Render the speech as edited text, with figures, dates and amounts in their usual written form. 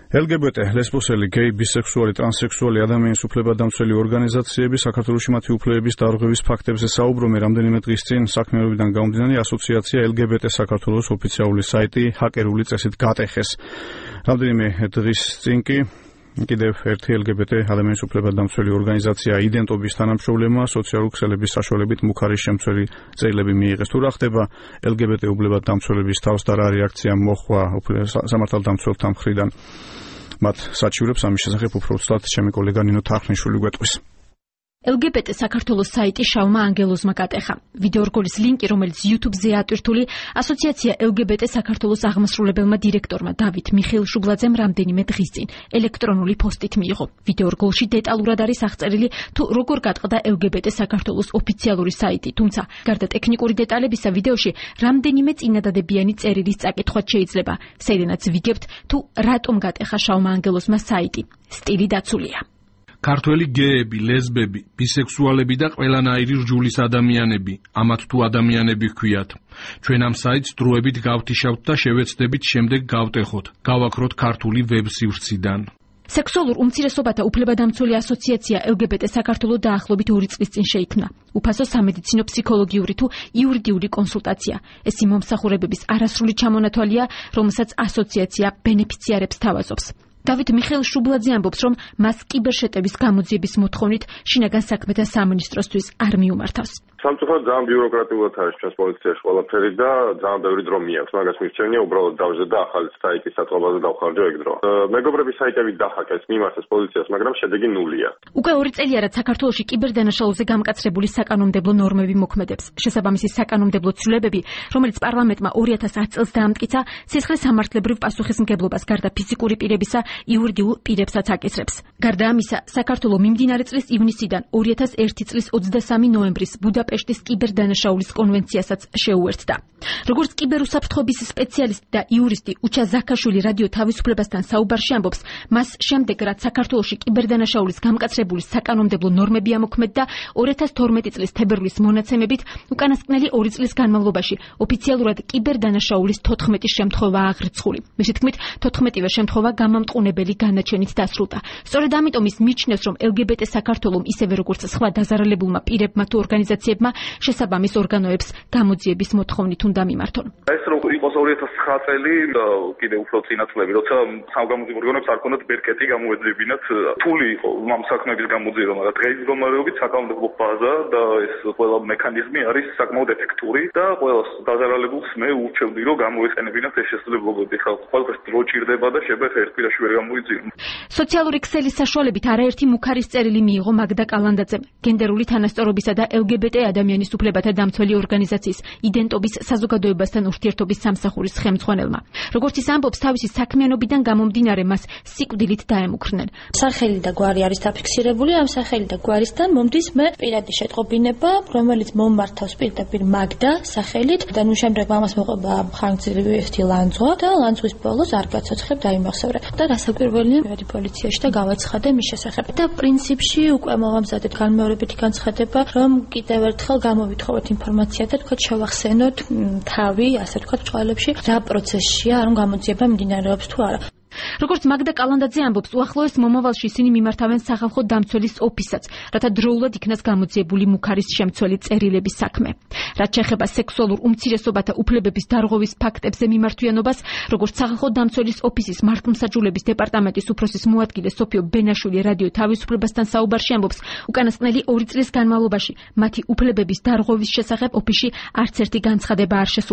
LGBT, ლესბოსელი, გეი, ბისექსუალი, ტრანსსექსუალი ადამიანის უფლებადამცველი ორგანიზაციები საქართველოში მათი უფლებების დარღვევის ფაქტებზე საუბრობენ. რამდენიმე დღის წინ საქმიანობიდან გამომდინარე ასოციაცია LGBT საქართველოს ოფიციალური საიტი ჰაკერული წესით გატეხეს. რამდენიმე დღის წინ კი კიდევ ერთი LGBT ადამიანის უფლებადამცველი ორგანიზაცია იდენტობის თანამშრომლებმა სოციალური ქსელების საშუალებით მუქარის შემცველი წერილები მიიღეს. თუ რა ხდება LGBT უფლებადამცველების თავს და რა რეაქცია მოხდა სამართალდამცველთა მხრიდან მათ საჩივრებს ამის შესახებ უფრო ცუდად ჩემი კოლეგა ნინო თარხნიშვილი გვეტყვის. LGBT საქართველოს საიტი შავმა ანგელოზმა გატეხა. ვიდეორგოლის ლინკი, რომელიც YouTube-ზე ატვირთული, ასოციაცია LGBT საქართველოს აღმასრულებელმა დირექტორმა დავით მიხეილ შუბლაძემ რამდენიმე დღის წინ ელექტრონული პოსტით მიიღო. ვიდეორგოლში დეტალურად არის აღწერილი, თუ როგორ გატყდა LGBT საქართველოს ოფიციალური საიტი, თუმცა გარდა ტექნიკური დეტალებისა ვიდეოში რამდენიმე წინადადებიანი წერილის წაკითხვაც შეიძლება. სერენაც ვიგებთ, თუ რატომ გატეხა შავმა ანგელოზმა საიტი. სტილი დაცულია. ქართველი გეები, ლესბები, ბისექსუალები და ყველანაირი რჯულის ადამიანები, ამათ თუ ადამიანები ჰქვიათ. ჩვენ ამ საიტს დროებით გავთიშავთ და შევეცდებით შემდეგ გავტეხოთ, გავაქროთ ქართული ვებ-სივრციდან. სექსუალურ უმცირესობათა უფლებადამცველი ასოციაცია LGBT საქართველოს დაახლოებით 2 წლის წინ შეიქმნა. უფასო სამედიცინო ფსიქოლოგიური თუ იურიდიული კონსულტაცია. ეს იმ მომსახურებების არასრული ჩამონათვალია, რომელსაც ასოციაცია ბენეფიციარებს თავაზობს. დავით მიხეილ შუბლაძე ამბობს, რომ მას კიბერშეტევის გამოძიების მოთხოვნით შინაგან საქმეთა სამინისტროსთვის არ მიუმართავს. სამწუხაროდ ძალიან ბიუროკრატიულად არის ჩვენს პოლიციაში ყველაფერი და ძალიან ბევრი დრო მიაქვს. მაგას მისცემია უბრალოდ დავზე და ახალი საიტის საწყობაზე დავხარჯო ეგ დრო. მეგობრების საიტები დახაკეს, მიმართეს პოლიციას, მაგრამ შედეგი ნულია. უკვე 2 წელია, რაც საქართველოში კიბერდანაშაულზე გამკაცრებული საკანონმდებლო ნორმები მოქმედებს. შესაბამისი საკანონმდებლო ცვლილებები, რომელიც პარლამენტმა 2010 წელს დაამტკიცა, სისხლისამართლებრივ პასუხისმგებლობას გარდა ფიზიკური პირებისა იურიდიულ პირებსაც აკისრებს. გარდა ამისა, საქართველოს მიმდინარე წლის ივნისიდან 2001 წლის 23 ნოემბრის ბუდაპეშტის კიბერდანაშაულის კონვენციასაც შეუერთდა. როგორც კიბერუსაფრთხოების სპეციალისტი და იურისტი უჩა ზაქაშვილი რადიო თავისუფლებასთან საუბარში ამბობს, მას შემდეგ რაც საქართველოში კიბერდანაშაულის გამკაცრებული საკანონმდებლო ნორმები ამოქმედდა 2012 წლის თებერვლის მონაცემებით, უკანასკნელი 2 წლის განმავლობაში ოფიციალურად კიბერდანაშაულის 14 შემთხვევაა აღრიცხული. მისი თქმით, 14-ვე შემთხვევა გამამტყუნებელი განაჩენით დასრულდა. სწორედ ამიტომ ის მიჩნევს, რომ LGBT საქართველოს ისევე როგორც სხვა დაზარალებულმა პირებმა თუ ორგანიზაციებმა შესაბამის ორგანოებს გამოძიების მოთხოვნით უნდა მიმართონ. ეს რო იყოს 2009 წელი და კიდევ უფრო წინა წლები, როცა სამგამოძიებო ორგანოებს არ ქონდათ ბერკეტი გამოეძებინათ, რთული იყო ამ საქმეების გამოძიება, მაგრამ დღეს მდგომარეობით საკანონმდებლო ბაზა და ეს ყველა მექანიზმი არის საკმაოდ ეფექტური და ყველა დაზარალებულს მე ურჩევდი, რომ გამოეყენებინათ ეს შესაძლებლობები. ხა ყველაფერს დრო ჭირდება და შეიძლება ერთ კვირაში ვერ გამოიძიონ. სოციალური ქსელის საშუალებით არაერთი მუქარის წერილი მიიღო მაგდა კალანდაძემ, გენდერული თანასწორობისა და LGBT ადამიანის უფლებათა დამცველი ორგანიზაციის იდენტობის საზოგადოებასთან ურთიერთობის სამსახურის ხელმძღვანელმა. როგორც ის ამბობს, თავისი საქმიანობიდან გამომდინარე მას სიკვდილით დაემუქრნენ. სახელი და გვარი არის დაფიქსირებული, ამ სახელი და გვარისთან მომდის მე პირადი შეტყობინება, რომელიც მომმართავს პირდაპირ მაგდა სახელით და ნუ შემდეგ მამას მოყვება ხანგრძლივი ერთი ლანძღვა და ლანძღვის ბოლოს არ გაცოცხლებ დაიმახსოვრე. და რასაკვირველია, მივედი პოლიციაში და გავაცხადე მის შესახებ. და პრინციპში უკვე მოვამზადეთ განმეორებითი განცხადება, რომ კიდევ ერთხელ გამოვითხოვოთ ინფორმაცია და თქვა შევახსენოთ თავი, ასე თქვა ბრძოლებში, რა პროცესშია, რომ გამოძიება მიმდინარეობს თუ არა. როგორც მაგდა კალანდაძე ამბობს, უახლოეს მომავალში ისინი მიმართავენ სახალხო დამცველის ოფისსაც, რათა დროულად იქნას გამოძიებული მუქარის შემცველი წერილების საქმე. რაც შეეხება სექსუალურ უმცირესობათა უფლებების დარღვევის ფაქტებზე მიმართვიანობას, როგორც სახალხო დამცველის ოფისის მართლმსაჯულების დეპარტამენტის უფროსის მოადგილე სოფიო ბენაშვილი რადიო თავისუფლებასთან საუბარში ამბობს, უკანასკნელი 2 წლის განმავლობაში მათი უფლებების დარღვევის შესახებ ოფისში არც ერთი განცხადება არ შესულა.